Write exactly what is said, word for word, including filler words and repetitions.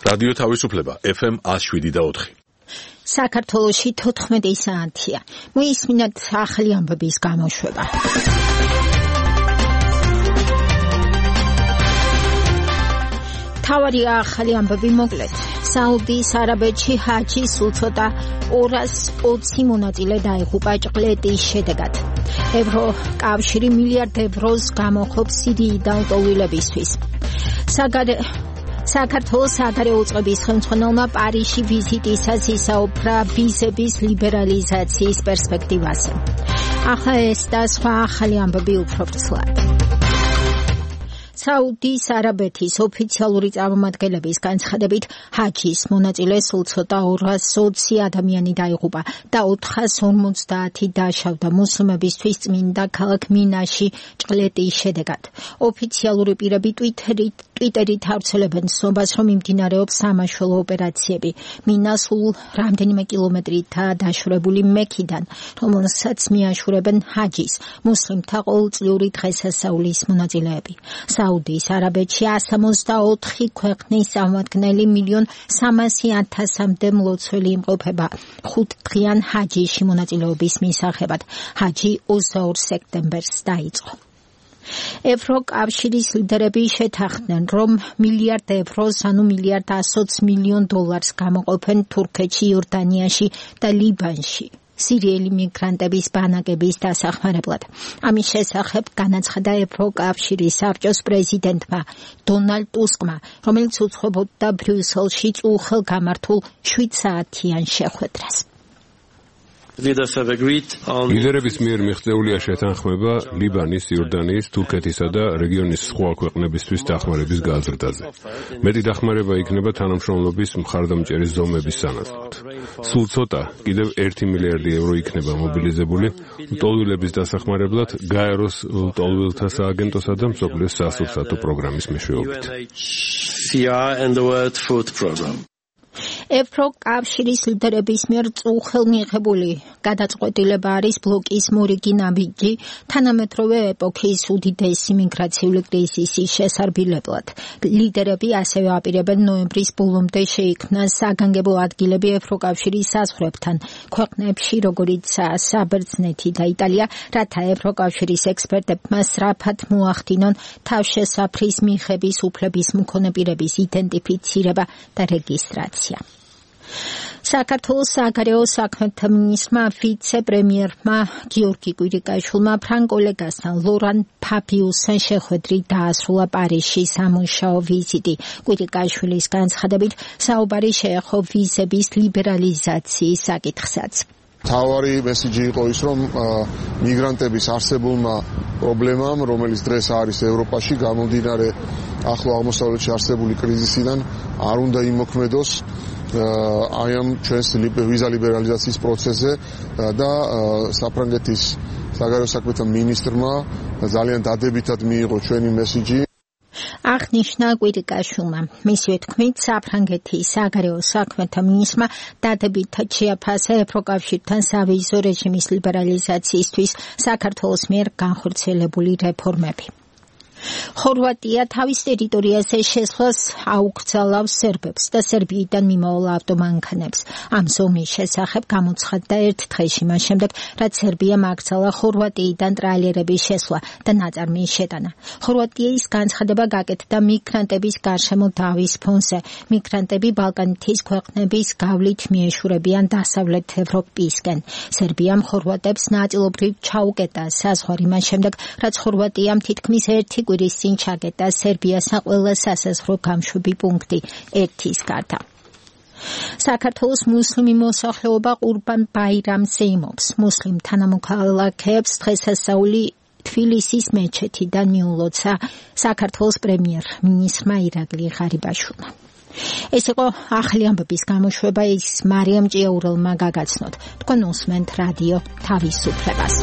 რადიო თავისუფლება ეფ ემ one oh seven და four. საქართველოში თოთხმეტი საათია. მოისმინოთ ახალი ამბების გამოშვება. თავარი ახალი ამბები მოკლედ. საუდის არაბეთში ჰაჯის უცოტა ორას ოცი მონაწილე დაიღუპა ჭყლეტის შედეგად. ევროკავშირი მილიარდ ევროს გამოხობს სირიიდან ლტოლვილებისთვის. საგარე საქართველოს საგარეო უწყების ხელმძღვანელმა პარიზში ვიზიტისას ისაუბრა ვიზების ლიბერალიზაციის პერსპექტივაზე. ახლა ეს და სხვა ახალი ამბები უფრო ვრცლად. საუდის არაბეთის ოფიციალური წარმომადგენლების განცხადებით ჰაჯის მონაწილე სულ ცოტა ორას ოცი ადამიანი დაიღუპა და ოთხას ორმოცდაათი დაშავდა მუსლიმებისთვის წმინდა ქალაქ მინაში ჭყლეტის შედეგად. ოფიციალური პირები ტვიტერით ტვიტერით ავრცელებენ ცნობას, რომ მიმდინარეობს სამაშველო ოპერაციები. მინა სულ რამდენიმე კილომეტრითაა დაშორებული მექიდან, რომელსაც მიაშურებენ ჰაჯის მუსლიმთა ყოველწლიური დღესასწაულის მონაწილეები. საუდის არაბეთში one hundred sixty-four ქვეყნის წარმომადგენელი მილიონ სამასი ათასამდე მლოცველი იმყოფება ხუთდღიან ჰაჯიში მონაწილეობის მისაღებად. ჰაჯი ოცდაორ სექტემბერს დაიწყო. ევროკავშირის ლიდერები შეთანხმდნენ, რომ მილიარდ ევროს, ანუ მილიარდ one hundred twenty მილიონ დოლარს გამოყოფენ თურქეთში, იორდანიაში და ლიბანში სირიელი მიგრანტების ბანაკების დასახმარებლად. ამის შესახებ განაცხადა ევროკავშირის საბჭოს პრეზიდენტმა დონალდ ტუსკმა, რომელიც უძღვებოდა ბრიუსელში წუხელ გამართულ შვიდ საათიან შეხვედრას. ლიდერების მიერ მიღწეულია შეთანხმება ლიბანის, იორდანიის, თურქეთისა და რეგიონის სხვა ქვეყნებისთვის დახმარების გაზრდაზე. მეტი დახმარება იქნება თანამშრომლობის მხარდამჭერის ზომების სანაცვლოდ. სულ ცოტა, კიდევ ერთი მილიარდი ევრო იქნება მობილიზებული ლტოლვილების დასახმარებლად გაეროს ლტოლვილთა სააგენტოსა და მსოფლიოს სასურსათო პროგრამის მეშვეობით. ევროკავშირის ლიდერების მიერ წუხელ მიღებული გადაწყვეტილება არის ბლოკის მორიგი ნაბიჯი თანამედროვე ეპოქის უდიდესი მიგრაციული კრიზისის შესარბილებლად. ლიდერები ასევე აპირებენ ნოემბრის ბოლომდე შეიქმნას საგანგებო ადგილები ევროკავშირის საზღვრებთან ქვეყნებში, როგორიცაა საბერძნეთი და იტალია, რათა ევროკავშირის ექსპერტებმა სწრაფად მოახდინონ თავშესაფრის მიღების უფლების მქონე პირების იდენტიფიცირება და რეგისტრაცია. საქართველოს საგარეო საქმეთა მინისტრმა ვიცე-პრემიერმა გიორგი კვირიკაშვილმა ფრანგ კოლეგასთან ლორან ფაბიუსთან შეხვედრით დაასრულა პარიზში სამუშაო ვიზიტი. კვირიკაშვილის განცხადებით საუბარი შეეხო ვიზების ლიბერალიზაციის საკითხსაც. თავარი მესიჯი იყო ის, რომ მიგრანტების არსებულმა პრობლემამ, რომელიც დღეს არის ევროპაში, გამომდინარე ახლო აღმოსავლეთში არსებული კრიზისიდან, არ უნდა იმოქმედოს აი ამ ჩვენს ვიზა ლიბერალიზაციის პროცესზე და საფრანგეთის საგარეო საქმეთა მინისტრმა ძალიან დადებითად მიიღო ჩვენი მესიჯი. აღნიშნა კვირიკაშვილმა. მისივე თქმით, საფრანგეთის საგარეო საქმეთა მინისტრმა დადებითად შეაფასა ევროკავშირთან სავიზო რეჟიმის ლიბერალიზაციისთვის საქართველოს მიერ განხორციელებული რეფორმები. ხორვატია თავის ტერიტორიაზე შესვლას აუკრძალავს სერბებს და სერბიიდან მიმავალ ავტომანქანებს. ამ ზომის შესახებ გამოცხადდა ერთ დღეში მას შემდეგ, რაც სერბიამ აკრძალა ხორვატიიდან ტრაილერების შესვლა და ნაწარმის შეტანა. ხორვატიის განცხადება გაკეთდა მიგრანტების გარშემო დავის ფონზე. მიგრანტები ბალკანეთის ქვეყნების გავლით მიეშურებიან დასავლეთ ევროპისკენ. სერბიამ ხორვატებს ნაწილობრივ ჩაუკეტა საზღვარი მას შემდეგ, რაც ხორვატიამ თითქმის ერთი კვირის წინ ჩაკეტა სერბიასთან ყველა სასაზღვრო გამშვები პუნქტი ერთის გარდა. საქართველოს მუსლიმი მოსახლეობა ყურბან ბაირამს ზეიმობს. მუსლიმ თანამოქალაქეებს დღესასწაული თბილისის მეჩეთიდან მიულოცა საქართველოს პრემიერ-მინისტრმა ირაკლი ღარიბაშვილმა. ეს იყო ახალი ამბების გამოშვება, ის მარიამ ჭიაურელმა გაგაცნოთ. თქვენ უსმენთ რადიო თავისუფლებას.